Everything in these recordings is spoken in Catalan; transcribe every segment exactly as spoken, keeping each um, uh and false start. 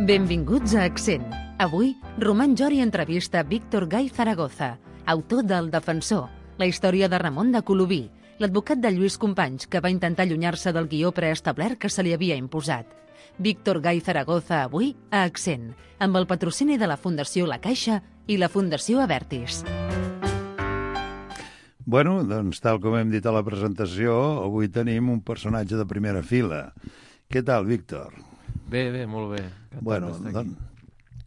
Benvinguts a Accent. Avui, Roman Jori entrevista Víctor Gay Zaragoza, autor del Defensor, la història de Ramon de Colobí, l'advocat de Lluís Companys, que va intentar allunyar-se del guió preestablert que se li havia imposat. Víctor Gay Zaragoza avui a Accent, amb el patrocini de la Fundació La Caixa i la Fundació Avertis. Bueno, doncs tal com hem dit a la presentació, avui tenim un personatge de primera fila. Què tal, Víctor? Bé, bé, molt bé. Bueno, doncs,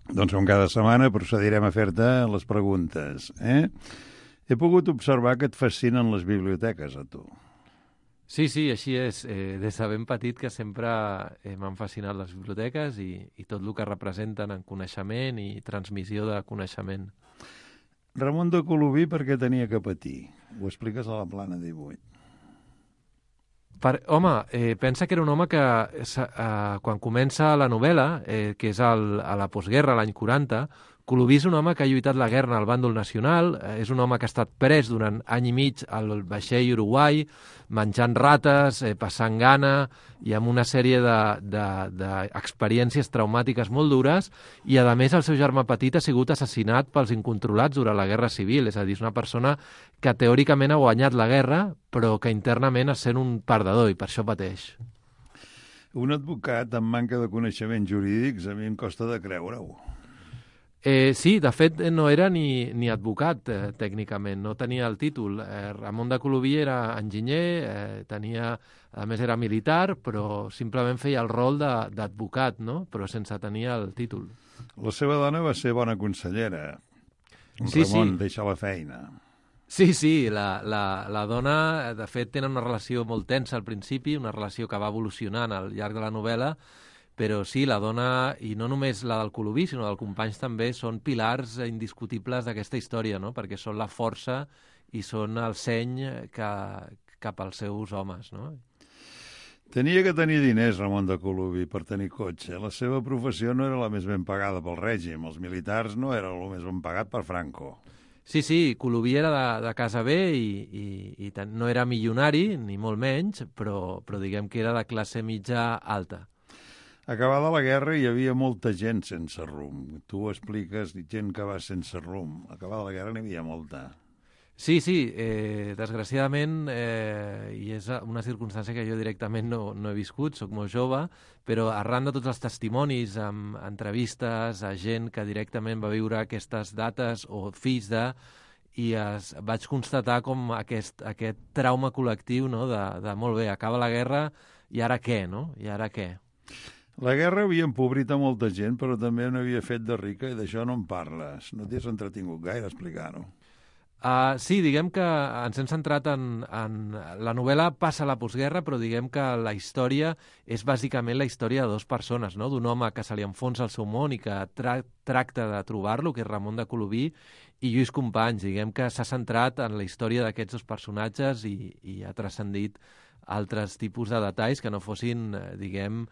doncs com cada setmana procedirem a fer-te les preguntes. Eh? He pogut observar que et fascinen les biblioteques, a tu. Sí, sí, així és. Eh, des de ben petit que sempre eh, m'han fascinat les biblioteques i, i tot el que representen en coneixement i transmissió de coneixement. Ramon de Colobí per què tenia que patir? Ho expliques a la plana divuit. Per, home, eh, pensa que era un home que eh, quan comença la novel·la, eh, que és al, a la postguerra, l'any quaranta, Colobí és un home que ha lluitat la guerra al bàndol nacional, eh, és un home que ha estat pres durant any i mig al vaixell Uruguai, menjant rates, eh, passant gana i amb una sèrie d'experiències de, de traumàtiques molt dures, i a més el seu germà petit ha sigut assassinat pels incontrolats durant la Guerra Civil, és a dir, és una persona que teòricament ha guanyat la guerra, però que internament és sent un perdedor i per això pateix. Un advocat amb manca de coneixements jurídics a mi em costa de creure-ho. Eh, sí, de fet no era ni, ni advocat eh, tècnicament, no tenia el títol. Eh, Ramon de Colobí era enginyer, eh, tenia, a més era militar, però simplement feia el rol d'advocat, no? Però sense tenir el títol. La seva dona va ser bona consellera. Sí, Ramon sí. deixa la feina. Sí, sí, la, la, la dona, de fet, tenen una relació molt tensa al principi, una relació que va evolucionant al llarg de la novel·la, però sí, la dona, i no només la del Colobí, sinó del Companys també, són pilars indiscutibles d'aquesta història, no? Perquè són la força i són el seny que, cap als seus homes, no? Tenia que tenir diners, Ramon de Colobí, per tenir cotxe. La seva professió no era la més ben pagada pel règim. Els militars no era el més ben pagat per Franco. Sí, sí, Colobí era de, de casa bé i, i, i tant, no era milionari, ni molt menys, però, però diguem que era de classe mitja alta. Acabada la guerra hi havia molta gent sense rumb. Tu ho expliques, gent que va sense rumb. Acabada la guerra n'hi havia molta. Sí, sí, eh, desgraciadament, eh, i és una circumstància que jo directament no, no he viscut, sóc molt jove, però arran de tots els testimonis, amb entrevistes a gent que directament va viure aquestes dates o fills de, i es, vaig constatar com aquest, aquest trauma col·lectiu, no?, de, de molt bé, acaba la guerra i ara què, no? I ara què? La guerra havia empobrit a molta gent, però també n'havia fet de rica i d'això no en parles. No t'has entretingut gaire a explicar-ho. Uh, sí, diguem que ens hem centrat en, en... La novel·la passa a la postguerra, però diguem que la història és bàsicament la història de dues persones, no? D'un home que se li enfonsa el seu món i que tra tracta de trobar-lo, que és Ramon de Colobí, i Lluís Companys. Diguem que s'ha centrat en la història d'aquests dos personatges i, i ha transcendit altres tipus de detalls que no fossin, diguem,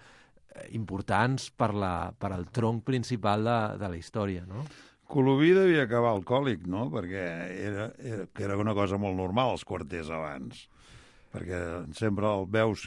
importants per, la, per al tronc principal de, de la història, no? Colobí devia acabar alcohòlic, no? Perquè era, era, que era una cosa molt normal als quarters abans. Perquè sempre el veus,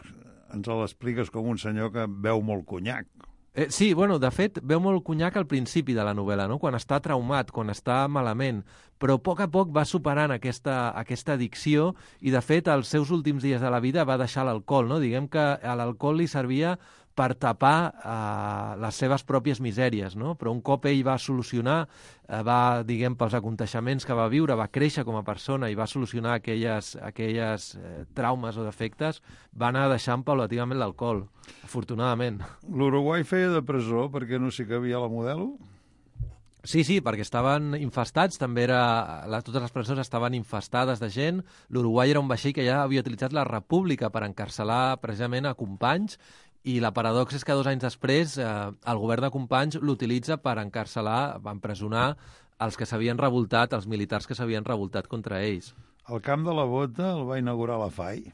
ens l'expliques com un senyor que beu molt conyac. Eh, sí, bueno, de fet, veu molt conyac al principi de la novel·la, no? Quan està traumat, quan està malament, però a poc a poc va superant aquesta, aquesta addicció i, de fet, als seus últims dies de la vida va deixar l'alcohol, no? Diguem que l'alcohol li servia per tapar eh, les seves pròpies misèries, no? Però un cop ell va solucionar, eh, va, diguem, pels aconteixements que va viure, va créixer com a persona i va solucionar aquelles, aquelles eh, traumes o defectes, va anar deixant paulativament l'alcohol, afortunadament. L'Uruguai feia de presó perquè no s'hi cabia la Modelo? Sí, sí, perquè estaven infestats, també era, la, totes les presons estaven infestades de gent. L'Uruguai era un vaixell que ja havia utilitzat la República per encarcelar precisament a Companys, i la paradoxa és que dos anys després eh, el govern de Companys l'utilitza per encarcelar, per empresonar els que s'havien revoltat, els militars que s'havien revoltat contra ells. El Camp de la Bota el va inaugurar la F A I?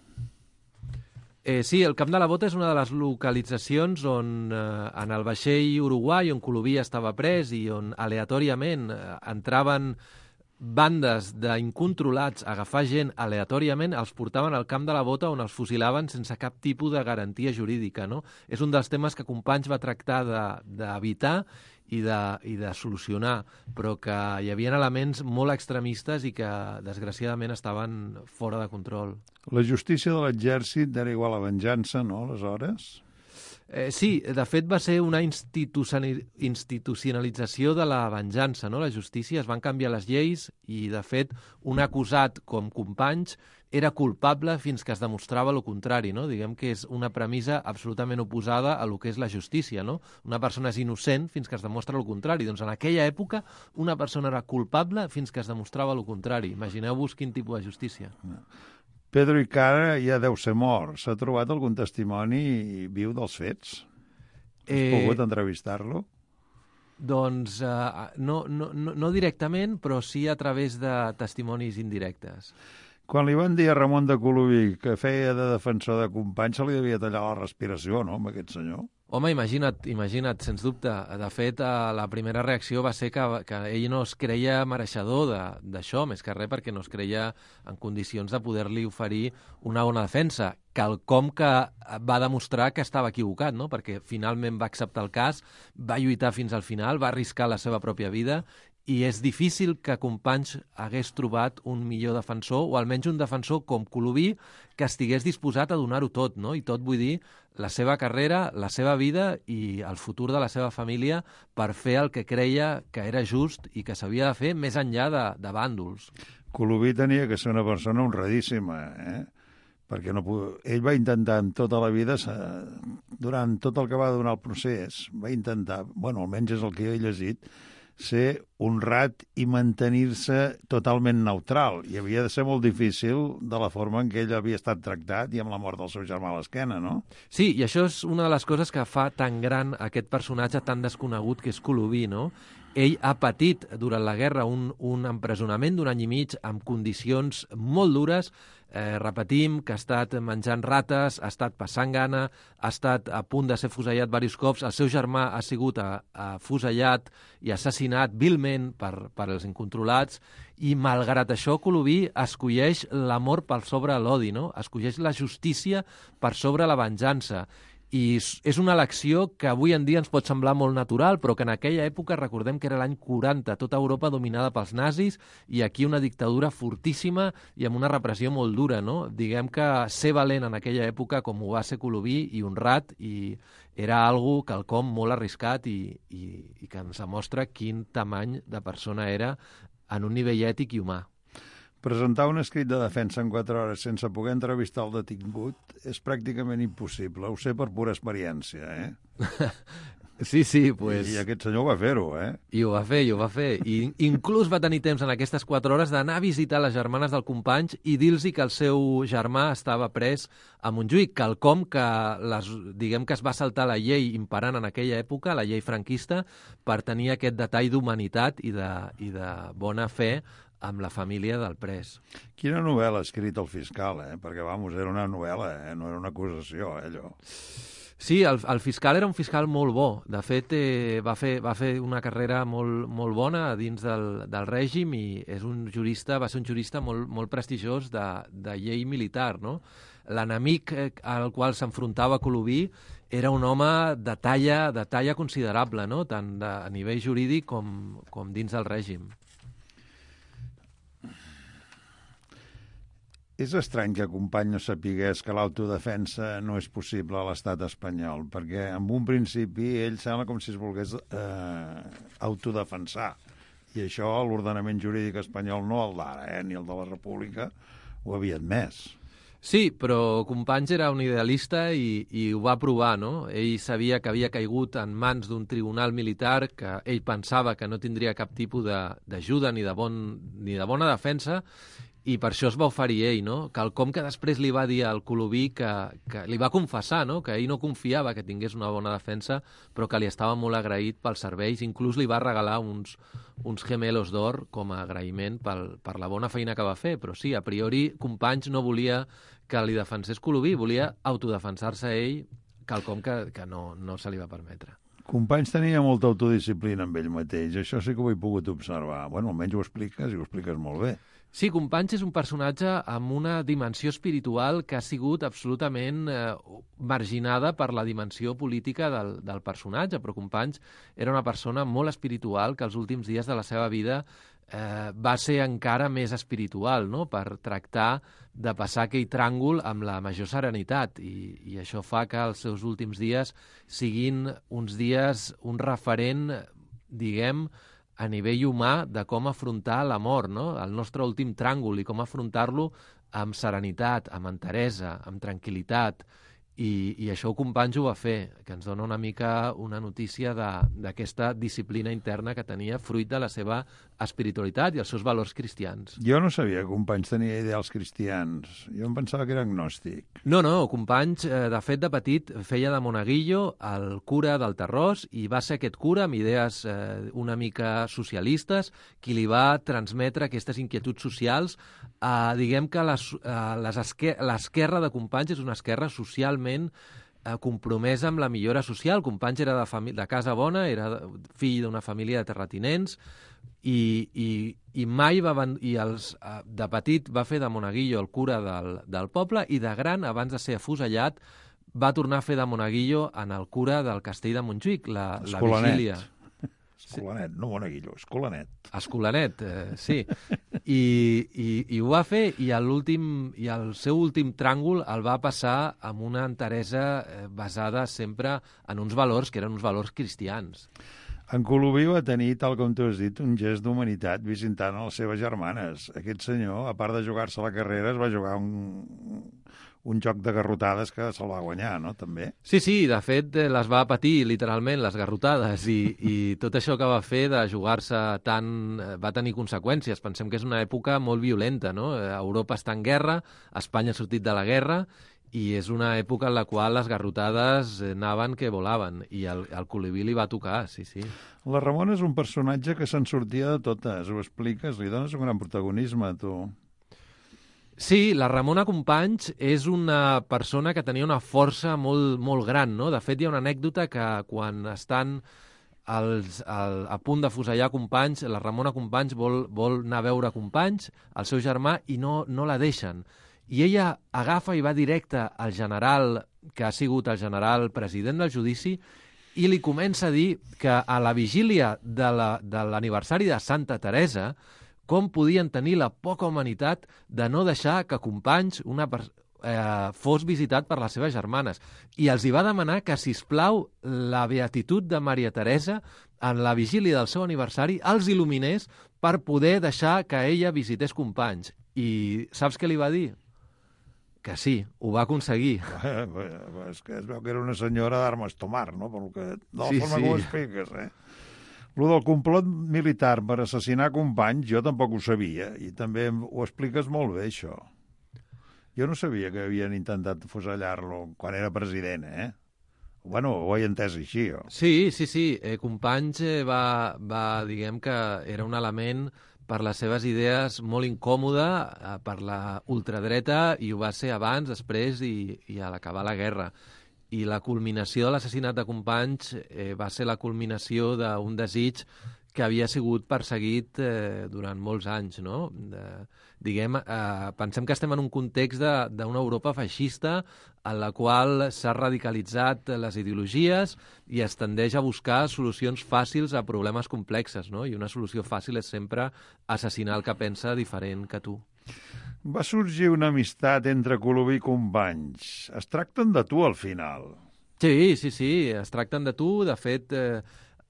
Eh, sí, el Camp de la Bota és una de les localitzacions on, eh, en el vaixell Uruguai, on Colobí estava pres i on aleatòriament eh, entraven bandes d'incontrolats a agafar gent aleatòriament, els portaven al camp de la Bota on els fusilaven sense cap tipus de garantia jurídica, no? És un dels temes que Companys va tractar d'evitar i de, i de solucionar, però que hi havia elements molt extremistes i que, desgraciadament, estaven fora de control. La justícia de l'exèrcit era igual a venjança, no, aleshores? Eh, sí, de fet va ser una institucionalització de la venjança, no? La justícia, es van canviar les lleis i, de fet, un acusat com Companys era culpable fins que es demostrava el contrari, no? Diguem que és una premissa absolutament oposada a lo que és la justícia, no? Una persona és innocent fins que es demostra el contrari. Doncs en aquella època una persona era culpable fins que es demostrava el contrari. Imagineu-vos quin tipus de justícia. No. Pedro Icara ja deu ser mort. S'ha trobat algun testimoni viu dels fets? Has eh... pogut entrevistar-lo? Doncs uh, no, no, no, no directament, però sí a través de testimonis indirectes. Quan li van dir a Ramon de Colubí que feia de defensor de Companys, se li devia tallar la respiració, no, amb aquest senyor? Home, imagina't, imagina't, sens dubte. De fet, la primera reacció va ser que, que ell no es creia mereixedor d'això, més que res perquè no es creia en condicions de poder-li oferir una bona defensa, quelcom que va demostrar que estava equivocat, no? Perquè finalment va acceptar el cas, va lluitar fins al final, va arriscar la seva pròpia vida, i és difícil que Companys hagués trobat un millor defensor, o almenys un defensor com Colubí, que estigués disposat a donar-ho tot, no? I tot vull dir la seva carrera, la seva vida i el futur de la seva família per fer el que creia que era just i que s'havia de fer més enllà de, de bàndols. Colubí tenia que ser una persona honradíssima, eh? Perquè no, ell va intentar en tota la vida, durant tot el que va donar el procés, va intentar, bueno, almenys és el que he llegit, ser honrat i mantenir-se totalment neutral. I havia de ser molt difícil de la forma en què ell havia estat tractat i amb la mort del seu germà a l'esquena, no? Sí, i això és una de les coses que fa tan gran aquest personatge tan desconegut que és Colubí, no? Ell ha patit durant la guerra un, un empresonament d'un any i mig amb condicions molt dures. Eh, repetim que ha estat menjant rates, ha estat passant gana, ha estat a punt de ser fusellat diversos cops, el seu germà ha sigut a, a fusellat i assassinat vilment per, per els incontrolats, i malgrat això Colubí escolleix l'amor per sobre l'odi, no? Escolleix la justícia per sobre la venjança. I és una elecció que avui en dia ens pot semblar molt natural, però que en aquella època, recordem que era l'any quaranta, tota Europa dominada pels nazis i aquí una dictadura fortíssima i amb una repressió molt dura, no? Diguem que ser valent en aquella època, com ho va ser Colubí, i honrat, i era algo quelcom molt arriscat i, i, i que ens demostra quin tamany de persona era en un nivell ètic i humà. Presentar un escrit de defensa en quatre hores sense poder entrevistar el detingut és pràcticament impossible. Ho sé per pura experiència, eh? Sí, sí, pues... I aquest senyor va fer-ho, eh? I ho va fer, i ho va fer. I inclús va tenir temps en aquestes quatre hores d'anar a visitar les germanes del Companys i dir-los que el seu germà estava pres a Montjuïc, quelcom que les, diguem que es va saltar la llei imperant en aquella època, la llei franquista, per tenir aquest detall d'humanitat i, de, i de bona fe amb la família del pres. Quina novel·la ha escrit el fiscal, eh? Perquè, vamos, era una novel·la, eh? No era una acusació, eh, allò. Sí, el, el fiscal era un fiscal molt bo. De fet, eh, va, fer, va fer una carrera molt, molt bona dins del, del règim i és un jurista, va ser un jurista molt, molt prestigiós de, de llei militar, no? L'enemic al qual s'enfrontava Colubí era un home de talla, de talla considerable, no? Tant de, a nivell jurídic com, com dins del règim. És estrany que Company no sapigués que l'autodefensa no és possible a l'estat espanyol, perquè en un principi ell sembla com si es volgués eh, autodefensar. I això l'ordenament jurídic espanyol, no el d'ara, eh, ni el de la República, ho havia admès. Sí, però Companys era un idealista i, i ho va provar, no? Ell sabia que havia caigut en mans d'un tribunal militar que ell pensava que no tindria cap tipus d'ajuda ni, de bon, ni de bona defensa, i per això es va oferir ell, no? Quelcom que després li va dir al Colubí que, que li va confessar, no? Que ell no confiava que tingués una bona defensa, però que li estava molt agraït pels serveis. Inclús li va regalar uns, uns gemelos d'or com a agraïment pel, per la bona feina que va fer. Però sí, a priori, Companys no volia que li defensés Colubí, volia autodefensar-se ell, quelcom que, que no, no se li va permetre. Companys tenia molta autodisciplina amb ell mateix, això sí que ho he pogut observar. Bueno, almenys ho expliques i ho expliques molt bé. Sí, Companys és un personatge amb una dimensió espiritual que ha sigut absolutament eh, marginada per la dimensió política del, del personatge, però Companys era una persona molt espiritual que els últims dies de la seva vida eh, va ser encara més espiritual, no?, per tractar de passar aquell tràngol amb la major serenitat, i, i això fa que els seus últims dies siguin uns dies, un referent, diguem, a nivell humà de com afrontar la mort, no?, el nostre últim tràngol, i com afrontar-lo amb serenitat, amb enteresa, amb tranquil·litat, i, i això Companys ho va fer, que ens dona una mica una notícia d'aquesta disciplina interna que tenia fruit de la seva espiritualitat i els seus valors cristians. Jo no sabia que Companys tenia ideals cristians. Jo em pensava que era agnòstic. No, no, Companys, eh, de fet, de petit, feia de monaguillo el cura del Terrós, i va ser aquest cura amb idees eh, una mica socialistes qui li va transmetre aquestes inquietuds socials. Eh, diguem que l'esquerra de Companys és una esquerra socialment eh, compromesa amb la millora social. Companys era de, de casa bona, era fill d'una família de terratinents, i, i, i mai va i els, de petit va fer de monaguillo el cura del, del poble, i de gran, abans de ser afusellat, va tornar a fer de monaguillo en el cura del castell de Montjuïc, la, la vigília. Escolanet, no monaguillo, escolanet. Escolanet, eh, sí. I, i, I ho va fer, i, l'últim i el seu últim tràngol el va passar amb una enteresa eh, basada sempre en uns valors que eren uns valors cristians. En Colubí va tenir, tal com tu has dit, un gest d'humanitat visitant a les seves germanes. Aquest senyor, a part de jugar-se la carrera, es va jugar un, un joc de garrotades que se'l va guanyar, no?, també. Sí, sí, de fet, les va patir literalment, les garrotades, i, i tot això que va fer de jugar-se tant va tenir conseqüències. Pensem que és una època molt violenta, no? Europa està en guerra, Espanya ha sortit de la guerra, i és una època en la qual les garrotades anaven que volaven, i el, el Colubí li va tocar, sí, sí. La Ramona és un personatge que se'n sortia de totes, ho expliques, li dones un gran protagonisme, tu. Sí, la Ramona Companys és una persona que tenia una força molt, molt gran, no? De fet, hi ha una anècdota que quan estan els, el, a punt de fusellar Companys, la Ramona Companys vol, vol anar a veure Companys, el seu germà, i no, no la deixen. I ella agafa i va directe al general, que ha sigut el general president del judici, i li comença a dir que a la vigília de l'aniversari de, de Santa Teresa, com podien tenir la poca humanitat de no deixar que Companys una eh, fos visitat per les seves germanes. I els hi va demanar que, sisplau, la beatitud de Maria Teresa en la vigília del seu aniversari els il·luminés per poder deixar que ella visités Companys. I saps què li va dir? Que sí, ho va aconseguir. Eh, és que es veu que era una senyora d'armes tomar, no? Per que, de la sí, forma sí. que ho expliques, eh? Lo del complot militar per assassinar Companys, jo tampoc ho sabia, i també ho expliques molt bé, això. Jo no sabia que havien intentat fusellar-lo quan era president, eh? Bueno, ho he entès així, jo. Sí, sí, sí. Eh, Companys eh, va, va, diguem que era un element per les seves idees molt incòmode, eh, per la ultradreta, i ho va ser abans, després i, i a l'acabar la guerra. I la culminació de l'assassinat de Companys eh, va ser la culminació d'un desig que havia sigut perseguit eh, durant molts anys, no? De, diguem, eh, pensem que estem en un context d'una Europa feixista en la qual s'ha radicalitzat les ideologies i es tendeix a buscar solucions fàcils a problemes complexes, no? I una solució fàcil és sempre assassinar el que pensa diferent que tu. Va sorgir una amistat entre Colubí i Companys. Es tracten de tu al final. Sí, sí, sí, es tracten de tu. De fet, eh,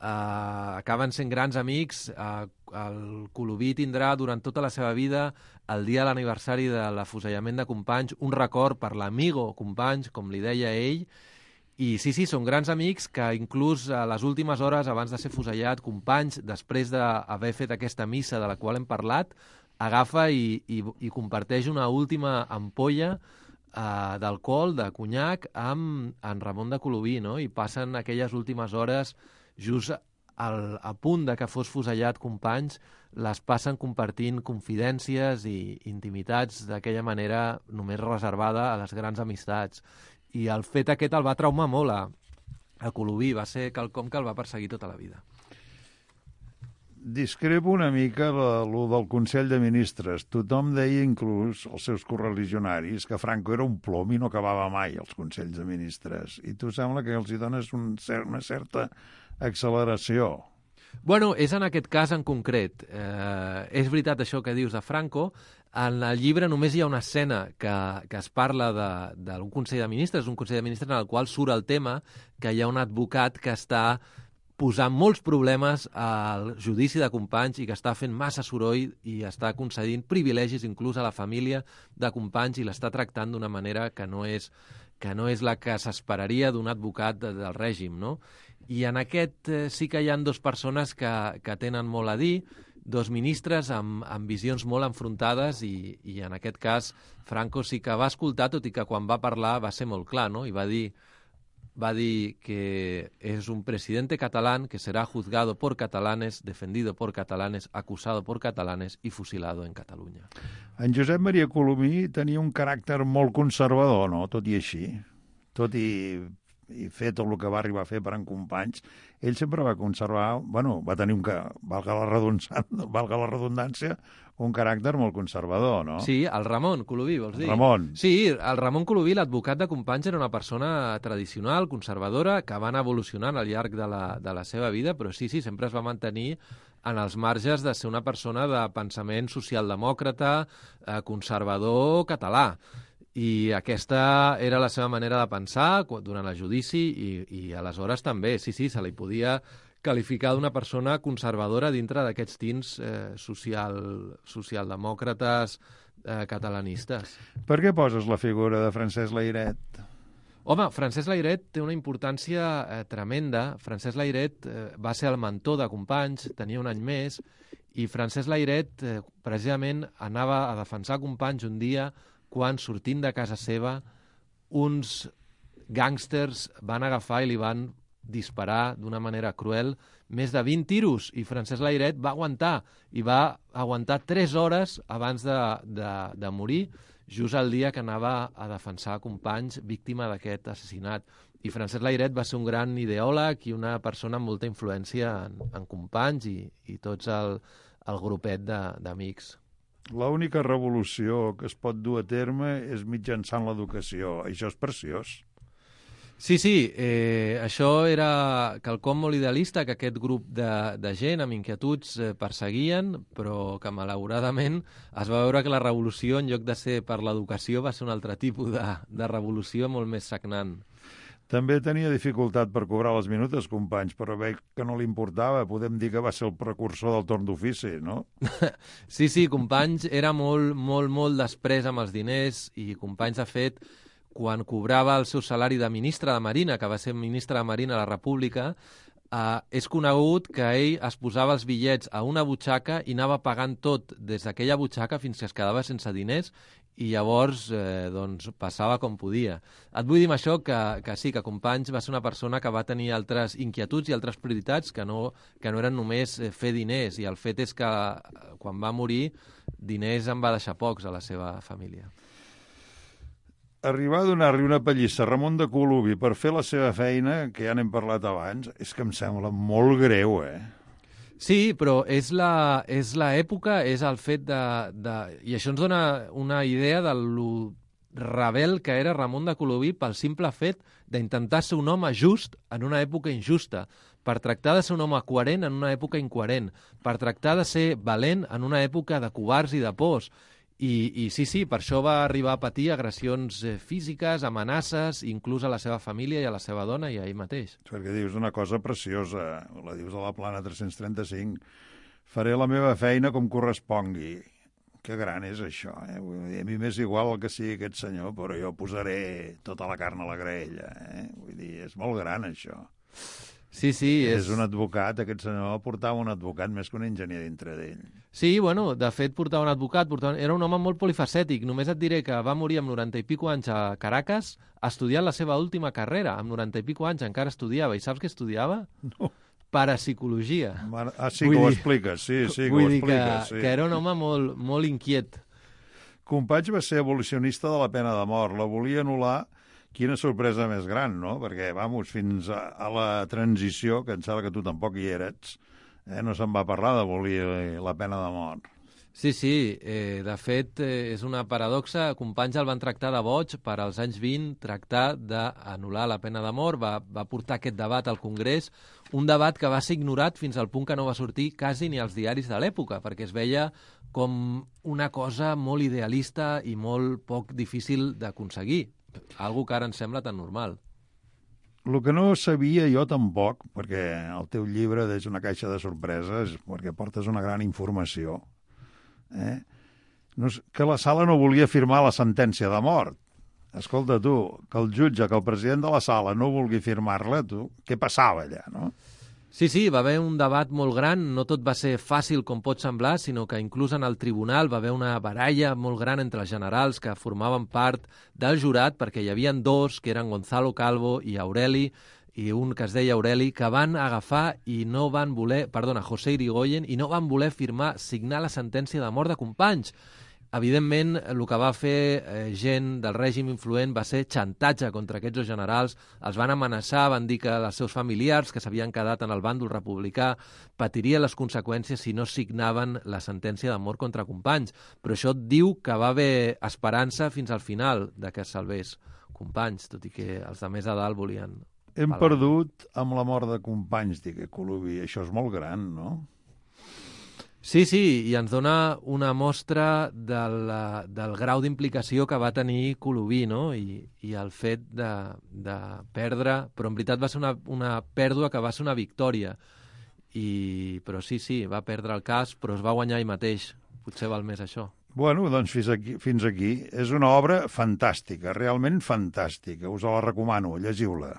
Uh, acaben sent grans amics. Uh, el Colubí tindrà durant tota la seva vida, el dia de l'aniversari de l'afusellament de Companys, un record per l'amigo Companys, com li deia ell, i sí, sí, són grans amics que inclús a les últimes hores abans de ser fusellat, Companys, després d'haver fet aquesta missa de la qual hem parlat, agafa i, i, i comparteix una última ampolla uh, d'alcohol, de conyac, amb en Ramon de Colubí, no? I passen aquelles últimes hores just al, a punt de que fos fusellat Companys, les passen compartint confidències i intimitats d'aquella manera només reservada a les grans amistats. I el fet aquest el va traumar molt a, a Colubí, va ser quelcom que el va perseguir tota la vida. Discrepo una mica lo del Consell de Ministres. Tothom deia, inclús els seus correligionaris, que Franco era un plom i no acabava mai els Consells de Ministres. I tu sembla que els hi dones un cert, una certa acceleració. Bueno, és en aquest cas en concret. Eh, és veritat això que dius de Franco. En el llibre només hi ha una escena que, que es parla d'un Consell de Ministres, un Consell de Ministres en el qual surt el tema que hi ha un advocat que està posant molts problemes al judici de Companys i que està fent massa soroll i està concedint privilegis inclús a la família de Companys i l'està tractant d'una manera que no és, que no és la que s'esperaria d'un advocat de, del règim, no? I en aquest eh, sí que hi ha dues persones que, que tenen molt a dir, dos ministres amb, amb visions molt enfrontades i, i en aquest cas Franco sí que va escoltar, tot i que quan va parlar va ser molt clar, no? I va dir, va dir que és un presidente catalán que será juzgado por catalanes, defendido por catalanes, acusado por catalanes i fusilado en Catalunya. En Josep Maria Colomí tenia un caràcter molt conservador, no? Tot i així. Tot i, i fer tot el que va arribar a fer per en Companys, ell sempre va conservar, bueno, va tenir un, valga la redundància, valga la redundància, un caràcter molt conservador, no? Sí, el Ramon Colomí, vols dir? Ramon. Sí, el Ramon Colomí, l'advocat de Companys, era una persona tradicional, conservadora, que va anar evolucionant al llarg de la, de la seva vida, però sí, sí, sempre es va mantenir en els marges de ser una persona de pensament socialdemòcrata, eh, conservador, català. I aquesta era la seva manera de pensar durant el judici i, i aleshores també, sí, sí, se li podia qualificar d'una persona conservadora dintre d'aquests tints eh, social, socialdemòcrates eh, catalanistes. Per què poses la figura de Francesc Layret? Home, Francesc Layret té una importància eh, tremenda. Francesc Layret eh, va ser el mentor de Companys, tenia un any més, i Francesc Layret eh, precisament anava a defensar Companys un dia quan, sortint de casa seva, uns gàngsters van agafar i li van disparar d'una manera cruel més de vint tiros, i Francesc Layret va aguantar, i va aguantar tres hores abans de, de, de morir, just el dia que anava a defensar Companys víctima d'aquest assassinat. I Francesc Layret va ser un gran ideòleg i una persona amb molta influència en, en Companys i, i tots el, el grupet d'amics. L'única revolució que es pot dur a terme és mitjançant l'educació. Això és preciós. Sí, sí, eh, això era quelcom molt idealista que aquest grup de, de gent amb inquietuds eh, perseguien, però que malauradament es va veure que la revolució, en lloc de ser per l'educació, va ser un altre tipus de, de revolució molt més sagnant. També tenia dificultat per cobrar les minutes, Companys, però veig que no li importava. Podem dir que va ser el precursor del torn d'ofici, no? Sí, sí, Companys era molt, molt, molt després amb els diners i Companys, de fet, quan cobrava el seu salari de ministre de Marina, que va ser ministre de Marina a la República, eh, és conegut que ell es posava els bitllets a una butxaca i anava pagant tot des d'aquella butxaca fins que es quedava sense diners i llavors eh, doncs, passava com podia. Et vull dir amb això que, que sí, que Companys va ser una persona que va tenir altres inquietuds i altres prioritats que no, que no eren només fer diners, i el fet és que quan va morir diners en va deixar pocs a la seva família. Arribar a donar-li una pallissa a Ramon de Colubí per fer la seva feina, que ja n'hem parlat abans, és que em sembla molt greu, eh? Sí, però és la, és l'època, és el fet de, de... I això ens dona una idea de lo rebel que era Ramon de Colubí pel simple fet d'intentar ser un home just en una època injusta, per tractar de ser un home coherent en una època incoherent, per tractar de ser valent en una època de covards i de pors. I, I sí, sí, per això va arribar a patir agressions físiques, amenaces, inclús a la seva família i a la seva dona i a ell mateix. Perquè dius una cosa preciosa, la dius a la plana tres-cents trenta-cinc, faré la meva feina com correspongui. Que gran és això, eh? Vull dir, a mi m'és igual el que sigui aquest senyor, però jo posaré tota la carn a la graella, eh? Vull dir, és molt gran això. Sí, sí. És... és un advocat, aquest senyor portava un advocat més que un enginyer dintre d'ell. Sí, bueno, de fet portava un advocat, portava... era un home molt polifacètic. Només et diré que va morir amb noranta i pico anys a Caracas, estudiant la seva última carrera. Amb noranta i pico anys encara estudiava. I saps què estudiava? No. Parapsicologia. Ah, sí, vull que dir... ho expliques, sí, sí, que ho expliques. Que, sí. que era un home molt, molt inquiet. Companys va ser abolicionista de la pena de mort. La volia anul·lar quina sorpresa més gran, no? Perquè, vamos, fins a, a la transició, que em sembla que tu tampoc hi eres, eh, no se'n va parlar d'abolir la pena de mort. Sí, sí, eh, de fet eh, és una paradoxa. Companys el van tractar de boig per als anys vint, tractar d'anul·lar la pena de mort, va, va portar aquest debat al Congrés, un debat que va ser ignorat fins al punt que no va sortir quasi ni als diaris de l'època, perquè es veia com una cosa molt idealista i molt poc difícil d'aconseguir, algo que ara ens sembla tan normal. El que no sabia jo tampoc, perquè el teu llibre és una caixa de sorpreses, perquè portes una gran informació, Eh? No, que la sala no volia firmar la sentència de mort. Escolta, tu, que el jutge, que el president de la sala no vulgui firmar-la, tu, què passava allà, no? Sí, sí, va haver un debat molt gran, no tot va ser fàcil com pot semblar, sinó que inclús en el tribunal va haver una baralla molt gran entre els generals que formaven part del jurat, perquè hi havia dos, que eren Gonzalo Calvo i Aureli, i un que es deia Aureli, que van agafar i no van voler, perdona, José Irigoyen, i no van voler firmar, signar la sentència de mort de Companys. Evidentment, el que va fer eh, gent del règim influent va ser xantatge contra aquests dos generals, els van amenaçar, van dir que els seus familiars, que s'havien quedat en el bàndol republicà, patirien les conseqüències si no signaven la sentència de mort contra Companys. Però això diu que va haver esperança fins al final de que es salvés Companys, tot i que els de més a dalt volien... Hem perdut amb la mort de Companys, dic, Coloví. Això és molt gran, no? Sí, sí, i ens dona una mostra del, del grau d'implicació que va tenir Coloví, no? I, i el fet de, de perdre... Però en veritat va ser una, una pèrdua que va ser una victòria. I, però sí, sí, va perdre el cas, però es va guanyar ell mateix. Potser val més això. Bueno, doncs fins aquí, fins aquí. És una obra fantàstica, realment fantàstica. Us la recomano, llegiu-la.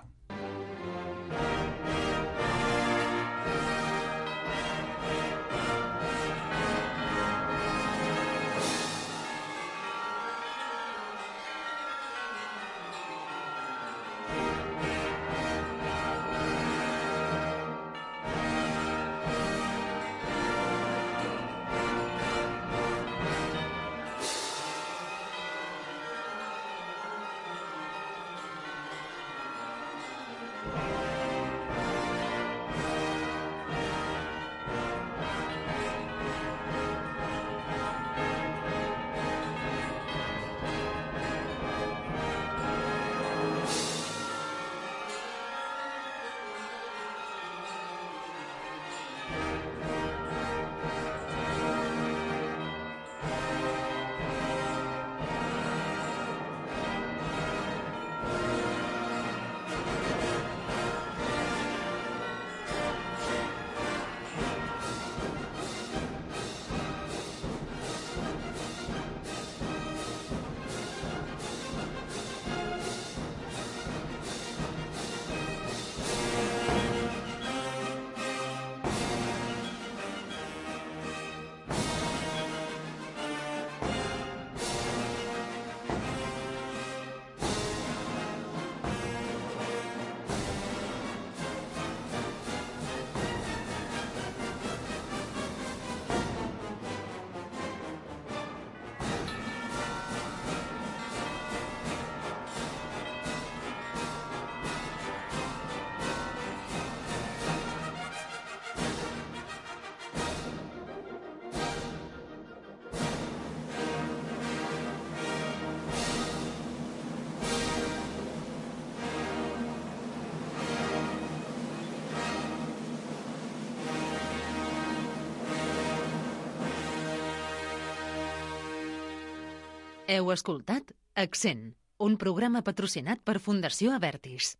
Heu escoltat Accent, un programa patrocinat per Fundació Avertis.